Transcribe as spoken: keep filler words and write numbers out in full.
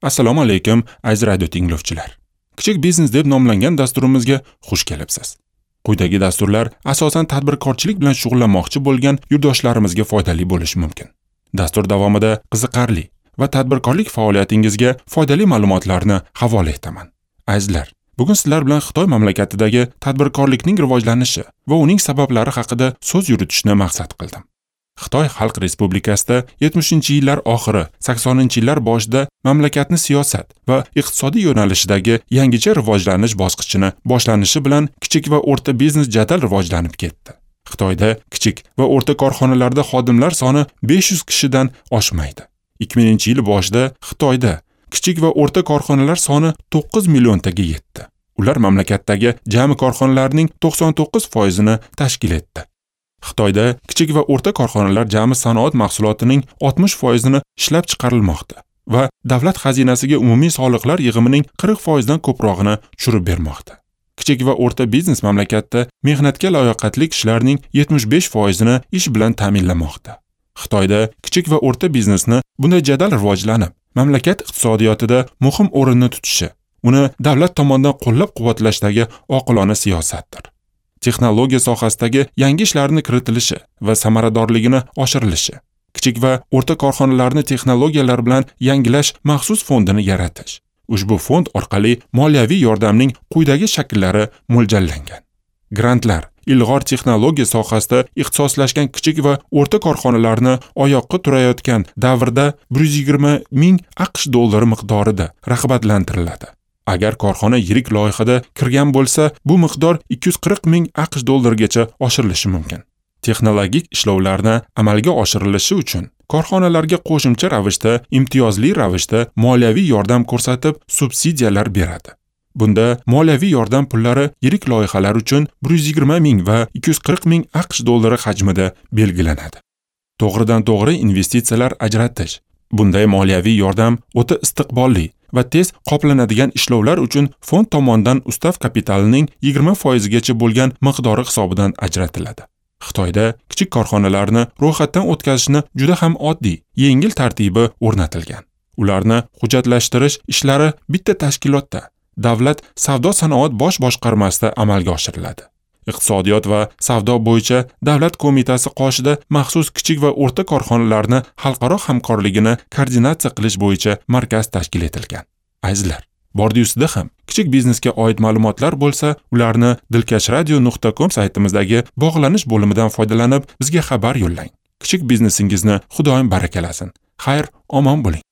Assalomu alaykum, aziz radio tinglovchilar. Kichik biznes deb nomlangan dasturimizga xush kelibsiz. Quyidagi dasturlar asosan tadbirkorchilik bilan shug'ullanmoqchi bo'lgan yurtdoshlarimizga foydali bo'lishi mumkin. Dastur davomida qiziqarli va tadbirkorlik faoliyatingizga foydali ma'lumotlarni havola etaman. Azizlar, bugun sizlar bilan Xitoy mamlakatidagi tadbirkorlikning rivojlanishi va uning sabablari haqida so'z yuritishni maqsad qildim. Xitoy Xalq Respublikasida yetmishinchi yillar oxiri, saksoninchi yillar boshida mamlakatni siyosat va iqtisodiy yo'nalishidagi yangicha rivojlanish bosqichini boshlanishi bilan kichik va o'rta biznes jadal rivojlanib ketdi. Xitoyda kichik va o'rta korxonalarda xodimlar soni besh yuz kishidan oshmaydi. ikki minginchi yil boshida Xitoyda kichik va o'rta korxonalar soni to'qqiz milliontaga yetdi. Ular mamlakatdagi jami korxonalarning to'qson to'qqiz foizini tashkil etdi. Xitoyda kichik va o'rta korxonalar jami sanoat mahsulotining oltmish foizini ishlab chiqarilmoqda va davlat xazinasiga umumiy soliqlar yig'imining qirq foizdan ko'prog'ini tushirib bermoqda. Kichik va o'rta biznes mamlakatda mehnatga layoqatli kishilarning yetmish besh foizini ish bilan ta'minlamoqda. Xitoyda kichik va o'rta biznesni bunday jadal rivojlanib, mamlakat iqtisodiyotida muhim o'rinni tutishi, uni davlat tomonidan qo'llab-quvvatlashdagi oqilona siyosatdir. Texnologiya sohasidagi yangi ishlarni kiritilishi va samaradorligini oshirilishi, kichik va o'rta korxonalarni texnologiyalar bilan yangilash maxsus fondini yaratish. Ushbu fond orqali moliyaviy yordamning quyidagi shakllari mo'ljallangan. Grantlar ilg'or texnologiya sohasida ixtisoslashgan kichik va o'rta korxonalarni oyoqqa turayotgan davrda bir yuz yigirma ming AQSh dollari miqdorida rag'batlantiriladi. Agar korxona yirik loyihada kirgan bo'lsa, bu miqdor ikki yuz qirq ming AQSh dollarigacha oshirilishi mumkin. Texnologik ishlovlarni amalga oshirilishi uchun korxonalarga qo'shimcha ravishda imtiyozli ravishda moliyaviy yordam ko'rsatib, subsidiyalar beradi. Bunda moliyaviy yordam pullari yirik loyihalar uchun bir yuz yigirma ming va ikki yuz qirq ming AQSh dollari hajmida belgilanadi. To'g'ridan to'g'ri investitsiyalar ajratish. Bunday moliyaviy yordam o'ta istiqbolli va tez qoplanadigan ishlovlar uchun fond tomonidan ustav kapitalining yigirma foizigacha bo'lgan miqdori hisobidan ajratiladi. Xitoyda kichik korxonalarni ro'yxatdan o'tkazishni juda ham oddiy, yengil tartibi o'rnatilgan. Ularni hujjatlashtirish ishlari bitta tashkilotda, Davlat savdo sanoat bosh boshqarmasida amalga oshiriladi. Iqtisodiyot va savdo bo'yicha Davlat qo'mitasi qoshida maxsus kichik va o'rta korxonalarni xalqaro hamkorligini koordinatsiya qilish bo'yicha markaz tashkil etilgan. Azizlar, bordi-ustida ham kichik biznesga oid ma'lumotlar bo'lsa, ularni dilkashradio nuqta com saytimizdagi bog'lanish bo'limidan foydalanib bizga xabar yo'llang. Kichik biznesingizni Xudoyim barakalasin. Xayr, omon bo'ling.